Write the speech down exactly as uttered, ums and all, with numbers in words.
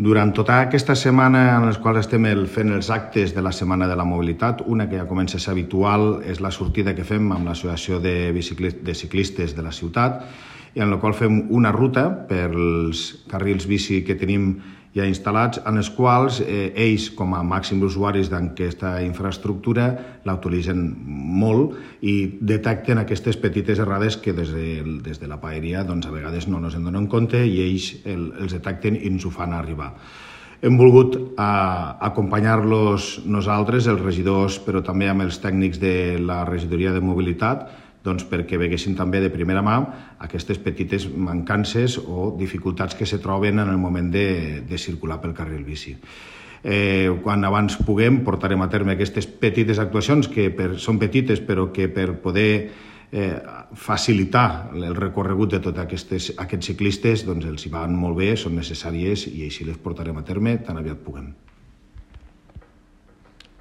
Durant tota aquesta setmana en les quals estem fent els actes de la Setmana de la Mobilitat, una que ja comença a ser habitual és la sortida que fem amb l'Associació de, de Ciclistes de la ciutat, i en la qual fem una ruta pels carrils bici que tenim ja instal·lats, en els quals eh, ells, com a màxims usuaris d'aquesta infraestructura, la utilitzen molt i detecten aquestes petites errades que des de, des de la paeria doncs, a vegades no ens en donen compte i ells el, els detecten i ens ho fan arribar. Hem volgut eh, acompanyar-los nosaltres, els regidors, però també amb els tècnics de la regidoria de mobilitat, doncs perquè veguessin també de primera mà aquestes petites mancances o dificultats que se troben en el moment de, de circular pel carril bici. Eh, quan abans puguem portarem a terme aquestes petites actuacions que per, són petites però que per poder eh, facilitar el recorregut de tots aquests, aquests ciclistes doncs els hi van molt bé, són necessàries i així les portarem a terme tan aviat puguem.